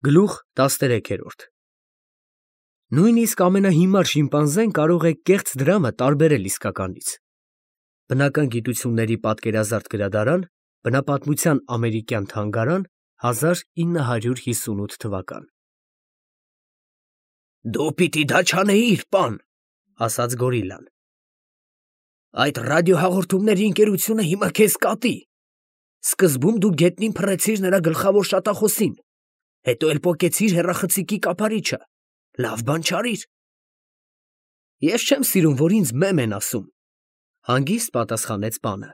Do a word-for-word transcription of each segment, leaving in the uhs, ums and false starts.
Գլուխ տասներեքերորդ Նույնիսկ ամենահիմար շիմպանզեն կարող է կեղծ դրամը տարբերել իսկականից։ Բնական գիտությունների պատկերազարդ գրադարան, Բնապատմության ամերիկյան թանգարան, հազար ինը հարյուր հիսունութ թվական։ Դու պիտի դա չանեիր, պան, ասաց գորիլլան։ Այդ ռադիոհաղորդումների ընկերությունը հիմա քեզ կատի։ Սկզբում դու գետնին փռեցիր նրա գլխավոր շատախոսին, հետո էլ պոկեցիր հեռախցիկի կափարիչը, լավ բան չարիր։ Ես չեմ սիրում, որ ինձ մեմ են ասում, հանգիստ պատասխանեց պանը։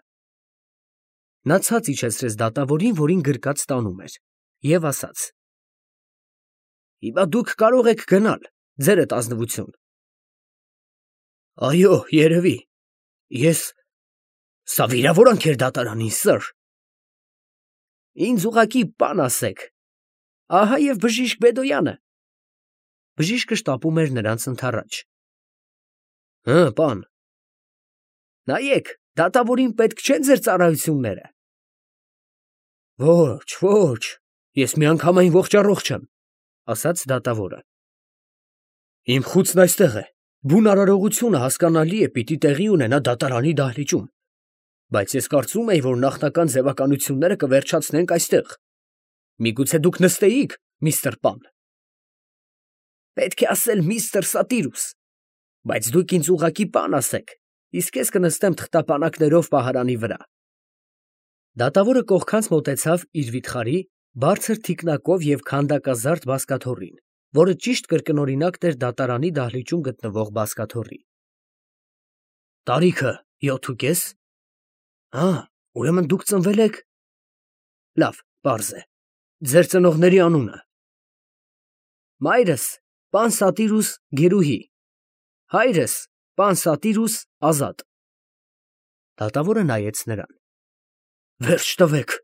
Նա ցած իջեցրեց դատավորին, որին գրկած տանում էր, և ասաց. Հիմա դուք կարող եք գնալ, ձերդ ազնվություն։ Այո, երևի, ես, սա վիրավորանք էր դատարանին, սըր։ Ինձ ուղղակի պան ասեք, ահա և բժիշկ Բեդոյանը։ Բժիշկը շտապում էր նրանց ընդառաջ։ Հը, պան։ Նայեք, դատավորին պետք չեն ձեր ծառայությունները։ Ոչ, ոչ, ես միանգամայն ողջ-առողջ եմ, ասաց դատավորը։ Իմ խուցն այստեղ է, բուն արարողությունը հասկանալի է պիտի տեղի ունենա դատարանի դահլիճում, բայց ես կարծում էի, որ նախնական ձևականությունները կվերջացնենք այստեղ։ Միգուցե դուք նստեիք, միստր Պան։ Պետք է ասել միստր Սատիրուս, բայց դուք ինձ ուղղակի պան ասեք, իսկ ես կնստեմ թղթապանակներով պահարանի վրա։ Դատավորը կողքանց մոտեցավ իր վիթխարի, բարձր թիկնակով և քանդակազարդ բազկաթոռին, որը ճիշտ կրկնօրինակն էր դատարանի դահլիճում գտնվող բազկաթոռի։ Տարիքը յոթ ու կես։ Հա, ուրեմն դուք ծնվել եք։ Լավ, պարզ է։ Ձեր ծնողների անունը։ Մայրս պան Սատիրուս Գերուհի, հայրս պան Սատիրուս Ազատ։ Դատավորը նայեց նրան։ Վերջ տվեք։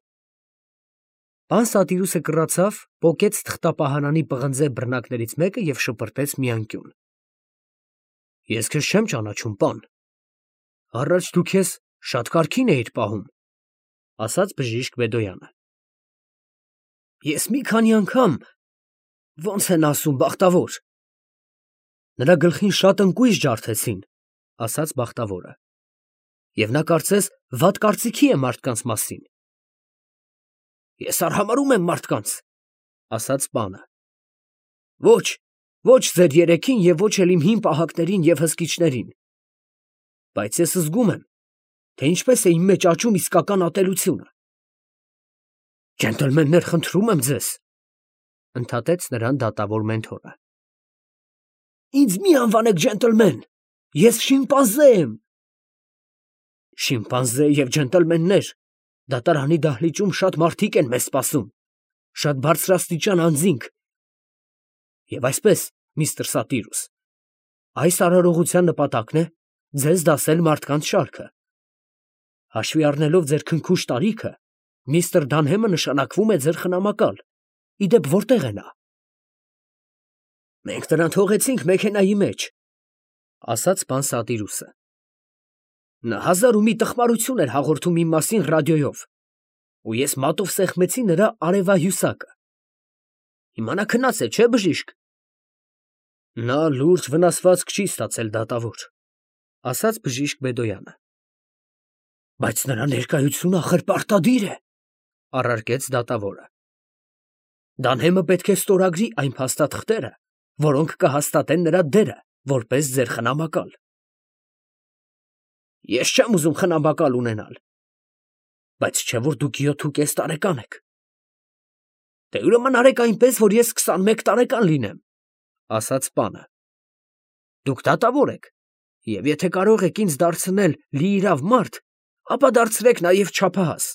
Պան Սատիրուսը կռացավ, պոկեց թղթապահարանի պղնձե բռնակներից մեկը և շպրտեց մի անկյուն։ Ես քեզ չեմ ճանաչում, պան։ Առաջ դու քեզ շատ կարգին էիր պահում, ասաց բժիշկ Բեդոյանը։ Ես մի քանի անգամ, ոնց են ասում, բախտավոր։ Նրա գլխին շատ ընկույզ ջարդեցին, ասաց բախտավորը։ Եվ նա կարծես վատ կարծիքի է մարդկանց մասին։ Ես արհամարհում եմ մարդկանց, ասաց պանը։ Ոչ, ոչ ձեր երեքին և ոչ էլ իմ հին պահակներին և հսկիչներին։ Բայց ես զգում եմ, թե ինչպես է իմ մեջ աճում իսկական ատելությունը։ Ջենտլմեններ, խնդրում եմ ձեզ, ընդհատեց նրան դատավոր մենթորը։ Ինձ մի անվանեք ջենտլմեն, ես շիմպանզե եմ։ Շիմպանզե և ջենտլմեններ, դատարանի դահլիճում շատ մարդիկ են մեզ սպասում, շատ բարձրաստիճան անձինք։ Եվ այսպես, միստր Սատիրուս, այս արարողության նպատակն է ձեզ դասել մարդկանց շարքը։ Հաշվի առնելով ձեր քնքուշ տարիքը, միստր Դանհեմը նշանակվում է ձեր խնամակալ, իդեպ որտեղ է նա։ Մենք նրան թողեցինք մեքենայի մեջ, ասաց պան Սատիրուսը։ Նա հազար ու մի տխմարություն էր հաղորդում իմ մասին ռադիոյով, ու ես մատով սեղմեցի նրա արևահյուսակը։ Հիմա նա քնած է, չէ՞ բժիշկ։ Նա լուրջ վնասվածք չի ստացել, դատավոր, ասաց բժիշկ Բեդոյանը։ Բայց նրա ներկայությունը ախր պարտադիր է, առարկեց դատավորը։ Դանհեմը պետք է ստորագրի այն փաստաթղթերը, որոնք կհաստատեն նրա դերը, որպես ձեր խնամակալ։ Ես չեմ ուզում խնամակալ ունենալ, բայց չէ՞ որ դուք յոթ ու կես տարեկան եք։ Դե ուրեմն արեք այնպես, որ ես քսանմեկ տարեկան լինեմ, ասաց պանը։ Դուք դատավոր եք, և եթե կարող եք ինձ դարձնել լիիրավ մարդ, ապա դարձրեք նաև չափահաս։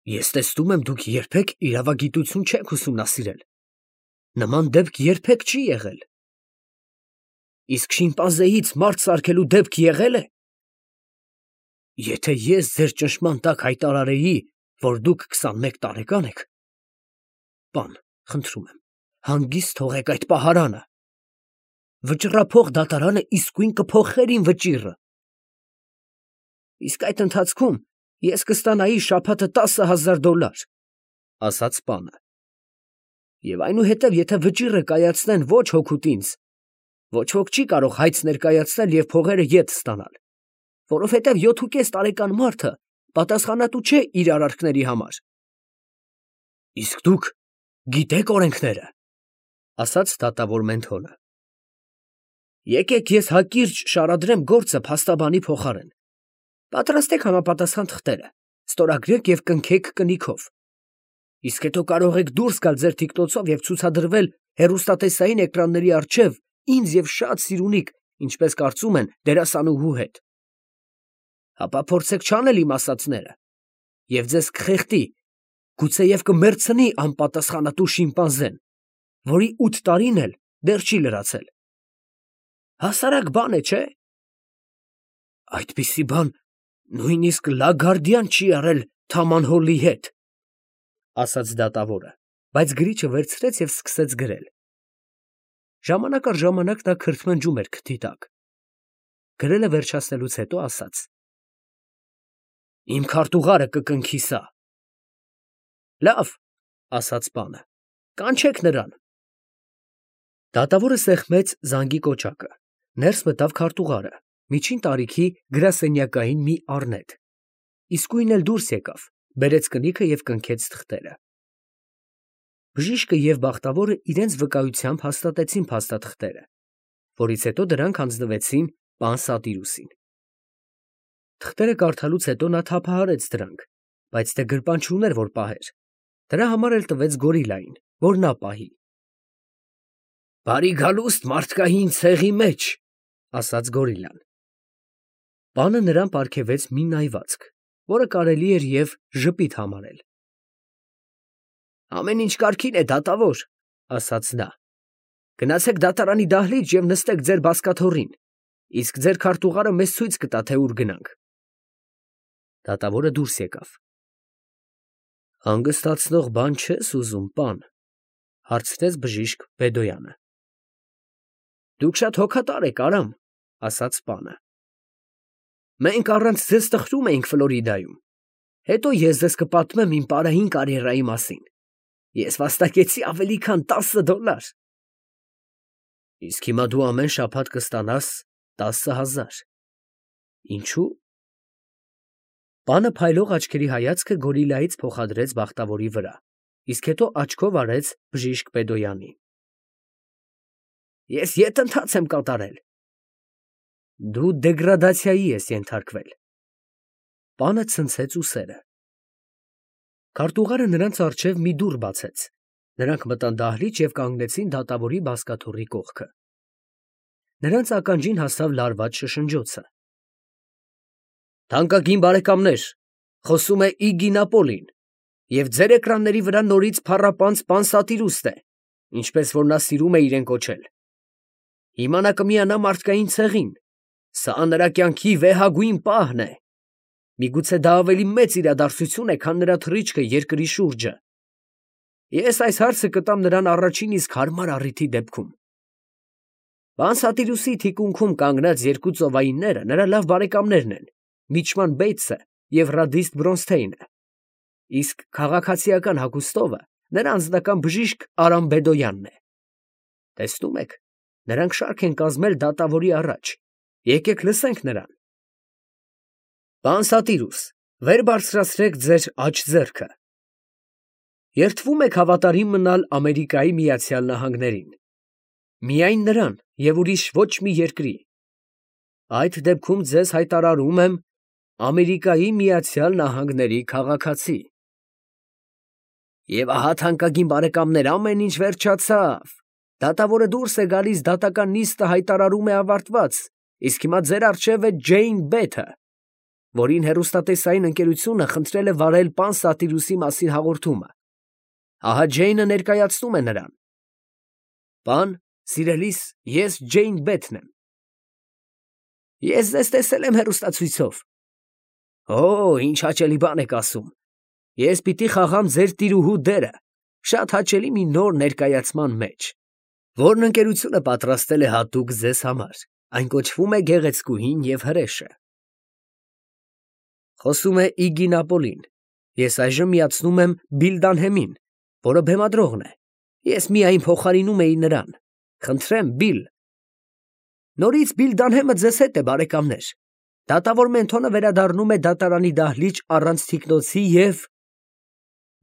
Ես տեսնում եմ, դուք երբեք իրավագիտություն չեք ուսումնասիրել։ Նման դեպք երբեք չի եղել։ Իսկ շիմպանզեից մարդ սարքելու դեպք եղե՞լ է։ Եթե ես ձեր ճնշման տակ հայտարարեի, որ դուք քսանմեկ տարեկան եք, պան, խնդրում եմ, հանգիստ թողեք այդ պահարանը։ Վճռափող դատարանը իսկույն կփոխեր իմ վճիռը։ Իսկ այդ ընթացքում ես կստանայի շաբաթը տասը հազար դոլար, ասաց պանը։ Եվ այնուհետև, եթե վճիռը կայացնեն ոչ հոգուտ ինձ, ոչ ոք չի կարող հայց ներկայացնել և փողերը ետ ստանալ, որովհետև յոթուկես տարեկան մարդը պատասխանատու չէ իր արարքների համար։ ֊ Իսկ դուք գիտեք օրենքները, ֊ ասաց դատավոր Մենթոնը։ ֊ Եկեք ես հակիրճ շարադրեմ գործը փաստաբանի փոխարեն. պատրաստեք համապատասխան թղթերը, ստորագրեք և կնքեք կնիքով, իսկ հետո կարող եք դուրս գալ ձեր թիկնոցով և ցուցադրվել հեռուստատեսային էկրանների առջև ինձ և շատ սիրունիկ, ինչպես կարծում են, դերասանուհու հետ։ Հապա փորձեք չանել իմ ասածները, և ձեզ կխեղդի, գուցեև կմեռցնի անպատասխանատու շիմպանզեն, որի ութ տարին էլ դեռ չի լրացել։ Հասարակ բան է, չէ՞։ Այդպիսի բան նույնիսկ Լագարդիան չի արել Թաման Հոլի հետ, ֊ ասաց դատավորը, բայց գրիչը վերցրեց և սկսեց գրել։ Ժամանակ առ ժամանակ նա քրթմնջում էր քթի տակ։ Գրելը վերջացնելուց հետո ասաց. Իմ քարտուղարը կկնքի սա։ Լավ, ֊ ասաց պանը, ֊ կանչեք նրան։ Դատավորը սեղմեց զանգի կոճակը, ներս մտավ քարտուղարը, միջին տարիքի գրասենյակային մի առնետ, իսկույն էլ դուրս եկավ, բերեց կնիքը և կնքեց թղթերը։ Բժիշկը և բախտավորը իրենց վկայությամբ հաստատեցին փաստաթղթերը, որից հետո դրանք հանձնվեցին պան Սատիրուսին։ Թղթերը կարդալուց հետո նա թափահարեց դրանք, բայց թե գրպան չուներ, որ պահեր, դրա համար էլ տվեց գորիլային, որ նա պահի։ Բարի գալուստ մարդկային ցեղի մեջ, ֊ ասաց գորիլան։ Պանը նրան պարգևեց մի նայվածք, որը կարելի էր և ժպիտ համարել։ Ամեն ինչ կարգին է, դատավոր, ֊ ասաց նա։ Գնացեք դատարանի դահլիճ և նստեք ձեր բազկաթոռին, իսկ ձեր քարտուղարը մեզ ցույց կտա, թե ուր գնանք։ Դատավորը դուրս եկավ։ Հանգստացնող բան չե՞ս ուզում, պան, ֊ հարցրեց բժիշկ Բեդոյանը։ Դուք շատ հոգատար եք, Արամ, ֊ ասաց պանը։ Մենք առանց ձեզ տխրում էինք Ֆլորիդայում, հետո ես ձեզ կպատմեմ իմ պարային կարիերայի մասին։ Ես վաստակեցի ավելի քան տասը դոլար։ Իսկ հիմա դու ամեն շաբաթ կստանաս տասը հազար։ Ինչու՞։ Պանը փայլող աչքերի հայացքը գորիլայից փոխադրեց բախտավորի վրա, իսկ հետո աչքով արեց բժիշկ Բեդոյանին։ Ես ետ ընթաց եմ կատարել։ Դու դեգրադացիայի ես ենթարկվել։ Պանը ցնցեց ուսերը։ Քարտուղարը նրանց առջև մի դուռ բացեց։ Նրանք մտան դահլիճ և կանգնեցին դատավորի բազկաթոռի կողքը։ Նրանց ականջին հասավ լարված շշնջոցը։ Թանկագին բարեկամներ, խոսում է Իգին Ապոլին, և ձեր էկրանների վրա նորից փառապանծ պան Սատիրուսն է, ինչպես որ նա սիրում է իրեն կոչել։ Հիմա նա կմիանա մարդկային ցեղին, սա նրա կյանքի վեհագույն պահն է։ Միգուցե դա ավելի մեծ իրադարձություն է, քան նրա թռիչքը երկրի շուրջը։ Ես այս հարցը կտամ նրան առաջին իսկ հարմար առիթի դեպքում։ Պան Սատիրուսի թիկունքում կանգնած երկու ծովայինները նրա լավ բարեկամներն են, Միչման Բեյթսը և Ռադիստ Բրոնսթեյնը, իսկ քաղաքացիական հագուստովը նրա անձնական բժիշկ Արամ Բեդոյանն է։ Տեսնում եք, նրանք շարք են կազմել դատավորի առաջ, եկեք լսենք նրան։ Պան Սատիրուս, վեր բարձրացրեք ձեր աջ ձեռքը։ Երդվում եք հավատարիմ մնալ Ամերիկայի Միացյալ Նահանգներին, միայն նրան և ուրիշ ոչ մի երկրի։ Այդ դեպքում ձեզ հայտարարում եմ Ամերիկայի Միացյալ Նահանգների քաղաքացի։ Եվ ահա, թանկագին բարեկամներ, ամեն ինչ վերջացավ։ Դատավորը դուրս է գալիս, դատական նիստը հայտարարում է ավարտված, իսկ հիմա ձեր առջև է Ջեյն Բեթը, որին հեռուստատեսային ընկերությունը խնդրել է վարել պան Սատիրուսի մասին հաղորդումը։ Ահա Ջեյնը ներկայացնում է նրան։ Պան, սիրելիս, ես Ջեյն Բեթն եմ։ Ես ձեզ տեսել եմ հեռուստացույցով։ Օ, ինչ հաճելի բան եք ասում։ Ես պիտի խաղամ ձեր տիրուհու դերը շատ հաճելի մի նոր ներկայացման մեջ, որն ընկերությունը պատրաստել է հատուկ ձեզ համար, այն կոչվում է Գեղեցկուհին և հրեշը։ Խոսում է Իգին Ապոլին, ես այժմ միացնում եմ Բիլդանհեմին, որը բեմադրողն է, Ես միայն փոխարինում էի նրան։ Խնդրեմ, Բիլ։ Նորից Բիլ Դանհեմը ձեզ հետ է, բարեկամներ։ Դատավոր Մենթոնը վերադառնում է դատարանի դահլիճ առանց թիկնոցի և…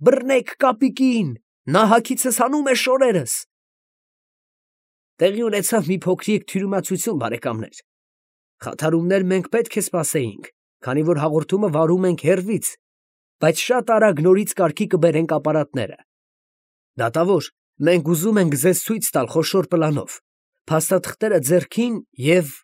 Բռնեք կապիկին, նա հագիցս հանում է շորերս։ Տեղի ունեցավ մի փոքրիկ թյուրիմացություն, բարեկամներ։ Խաթարումներ մենք պետք է սպասեինք, քանի որ հաղորդումը վարում ենք հեռվից, բայց շատ արագ նորից կարգի կբերենք ապարատները։ Դատավոր, մենք ուզում ենք ձեզ ցույց տալ խոշոր պլանով, փաստաթղթերը ձեռքին և…